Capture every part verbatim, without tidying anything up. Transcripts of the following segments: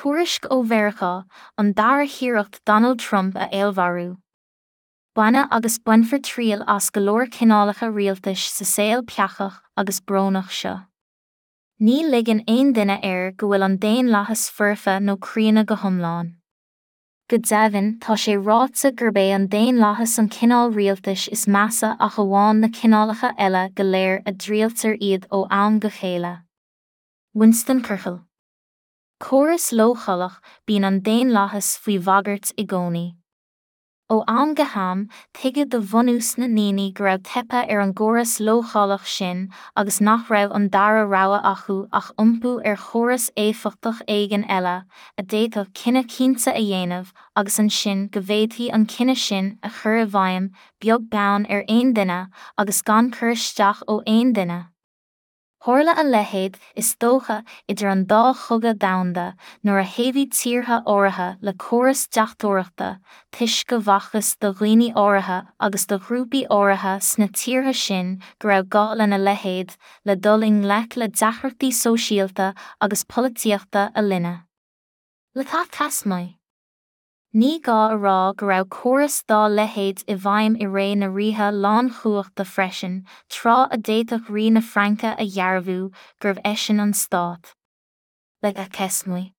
Tuairisc ó Mheiriceá, an dara hiarracht Donald Trump a fheallmharú. Baineadh agus bainfear triail as go leor cineálacha rialtais sa saol peacach agus brónach seo. Ní ligeann aon duine air go bhfuil an daonlathas foirfe nó críonna go hiomlán. Go deimhin, tá sé ráite gurb é an daonlathas an cineál rialtais is measa ach amháin na cineálacha eile go léir a dtriailtear iad ó am go chéile. Winston Churchill. Córas leochaileach, bíonn an daonlathas faoi bhagairt i gcónaí. Ó am go ham, tuigeadh do bhunús na ndaoine go raibh teipthe ar an gcóras leochaileach sin agus nach raibh an dara rogha acu ach iompú ar chóras éifeachtach éigin eile, a d'fhéadfadh cinneadh cinnte a dhéanamh agus ansin go bhféadfaí an cinneadh sin a chur i bhfeidhm, beag beann ar aon duine agus gan cur isteach ó aon duine. Tharla a leithéid, is dócha, idir an dá chogadh domhanda, nuair a thaobhaigh tíortha áirithe le córas deachtóireachta, toisc go bhfacthas do dhaoine áirithe agus do ghrúpaí áirithe sna tíortha sin go raibh gá lena leithéid le dul i ngleic le deacrachtaí sóisialta agus polaitíochta a linne. Le Tasmaí. Ní gá a rá go raibh córas dá leithéid i bhfeidhm i ré na ríthe lánchumhachta freisin, tráth a d'fhéadfadh rí na Fraince a dhearbhú gurbh eisean an stát. Le Cesmaí.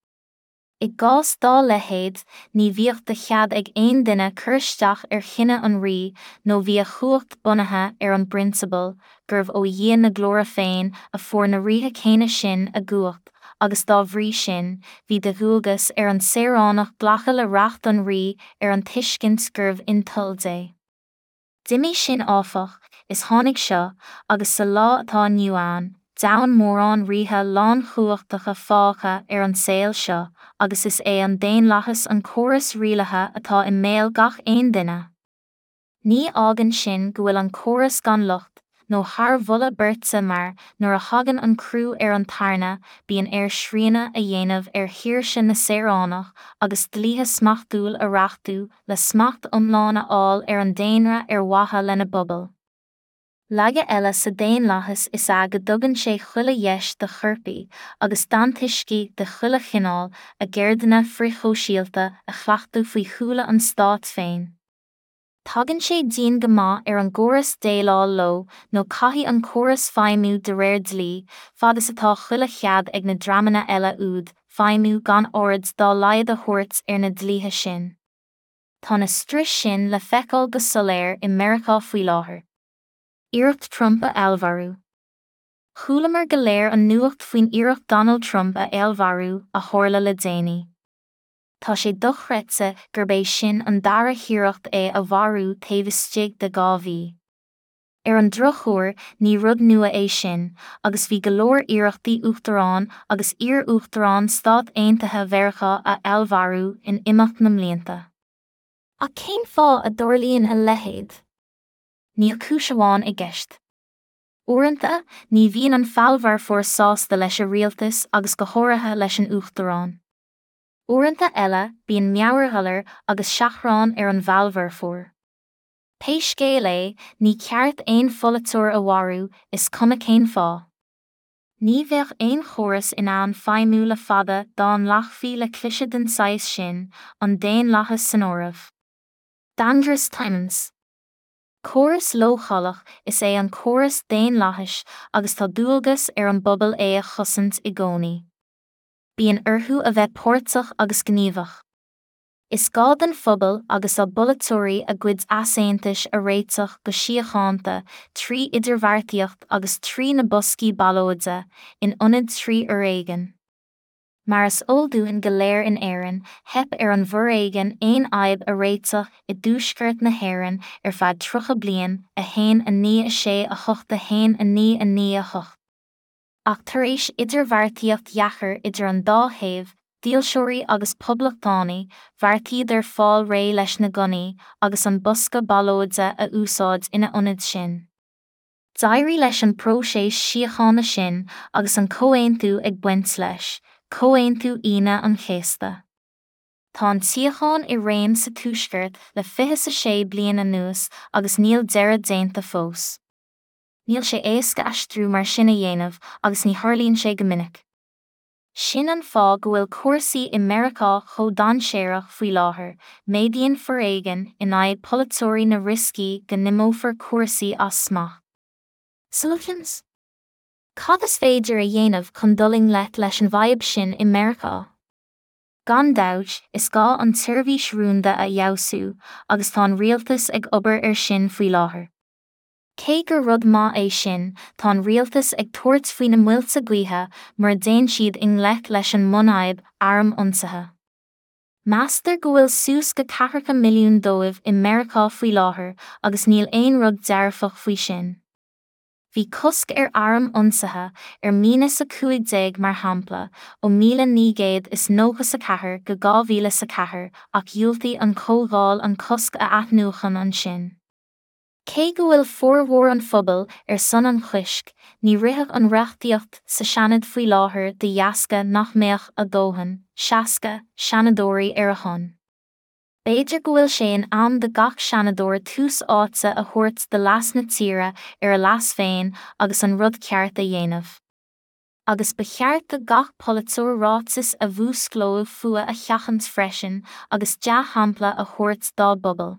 I gcás dá leithéid, ní bhíodh de chead ag aon duine cur isteach ar chinneadh an rí nó bhí a chumhacht bunaithe ar an bprionsabal gurbh ó Dhia na glóire féin a fuair na ríthe céanna sin a gcumhacht agus dá bhrí sin, bhí de dhualgas ar an saoránach glacadh le reacht an rí ar an tuiscint gurbh in toil Dé. D'imigh sin áfach, is tháinig seo, agus sa lá atá inniu ann, deamhan mórán ríthe lánchumhachtacha fágtha ar an saol seo, agus is é an daonlathas an córas rialaithe atá i mbéal gach aon duine. Ní fhágann sin go bhfuil an córas gan locht, nó thar mholadh beirte mar, nuair a thagann an crú ar an tairne, bíonn air srianadh a dhéanamh ar shaoirse na saoránach agus dlíthe smachtúil a reachtú le smacht iomlán a fháil ar an daonra ar mhaithe lena bpobal. Laige eile sa daonlathas is ea go dtugann sé chuile dheis do choirpigh agus d'antoiscigh de chuile chineál a gceirdeanna frithshóisialta a chleachtadh faoi shúile an stáit féin. Tagann sé dian go maith ar an gcóras déileáil leo nó caithfidh an córas feidhmiú de réir dlí, fad is atá chuile chead ag na dreamanna eile úd feidhmiú gan aird dá laghad a thabhairt ar na dlíthe sin. Tá na struis sin le feiceáil go soiléir i Meiriceá faoi láthair. Iarracht Trump a fheallmharú. Chualamar go léir an nuacht faoin iarracht Donald Trump a fheallmharú a tharla le déanaí. Tá sé dochreidte gurb é sin an dara hiarracht é a mharú taobh istigh de dhá mhí. Ar an drochuair, ní rud nua é sin, agus bhí go leor iarrachtaí uachtarán agus iar-uachtarán Stát Aontaithe Mheiriceá a fheallmharú in imeacht na mblianta. Ach cén fáth a dtarlaíonn a leithéid? Níl cúis amháin i gceist. Uaireanta, ní bhíonn an feallmharfóir sásta leis an rialtas agus go háirithe leis an uachtarán. Uaireanta eile, bíonn meabhairghalar agus seachrán ar an bhfeallmharfóir. Pé scéal é, ní ceart aon pholaiteoir a mharú, is cuma cén fáth. Ní bheadh aon chóras in ann feidhmiú le fada dá nglacfaí le cliseadh den saghas sin, an daonlathas san áireamh. Dangerous Times. Córas leochaileach is ea an córas daonlathais agus tá dualgas ar an bpobal é a chosaint i gcónaí. Bíonn orthu a bheith páirteach agus gníomhach. Is gá don phobal agus dá bpolaiteoirí a gcuid easaontais a réiteach go síochánta trí idirbheartaíocht agus trí na boscaí ballóide, in ionad trí fhoréigean. Mar is eol dúinn go léir in Éirinn, theip ar an bhforéigean aon fhadhb a réiteach i dtuaisceart na hÉireann ar feadh tríocha bliain, a haon a naoi a sé a hocht a haon a naoi a naoi a hocht. Ach tar éis idirbheartaíocht dheacair idir an dá thaobh, dílseoirí agus poblachtánaigh, bheartaíodar fáil réidh leis na gunnaí agus an bosca ballóide a úsáid ina ionad sin. D'éirigh leis an bpróiseas síochána sin agus an comhaontú ag baint leis, Comhaontú Aoine an Chéasta. Tá an tsíocháin i réim sa Tuaisceart le fiche a sé bliain anuas agus níl deireadh déanta fós. Níl sé éasca aistriú mar sin a dhéanamh agus ní tharlaíonn sé go minic. Sin an fáth go bhfuil cúrsaí i Meiriceá chomh dainséarach faoi láthair, méadaíonn foréigean in aghaidh polaiteoirí na rioscaí go n-imeofar cúrsaí as smacht. Solutions? Cad is féidir a dhéanamh chun dul i ngleic leis an bhfadhb sin i Meiriceá? Gan dabht, is gá an tseirbhís rúnda a fheabhsú, agus tá an rialtas ag obair air sin faoi láthair. Cé gur rud maith é sin, tá an rialtas ag tabhairt faoi na muilte gaoithe mura dtéann siad i ngleic leis an mbunfhadhb, airm ionsaithe. Meastar go bhfuil suas go ceathracha milliún dóibh i Meiriceá faoi láthair agus níl aon rud dearfach faoi sin. Bhí cosc ar airm ionsaithe, ar míneas a cúig déag mar shampla, ó míle naoi gcéad is nócha a ceathair go dhá mhíle a ceathair ach dhiúltaigh an Chomhdháil an cosc a athnuachan ansin. Cé go bhfuil formhór an phobail ar son an choisc, ní rithfeadh an reachtaíocht sa Seanad faoi láthair de dheasca nach mbeadh a dóthain, seasca, seanadóirí ar a shon. B'fhéidir go bhfuil sé in am do gach seanadóir tús áite a thabhairt do leas na tíre ar a leas féin agus an rud ceart a dhéanamh. Agus ba cheart do gach polaiteoir ráiteas a mhúsclódh fuath a sheachaint freisin agus dea-shampla a thabhairt dá bpobal.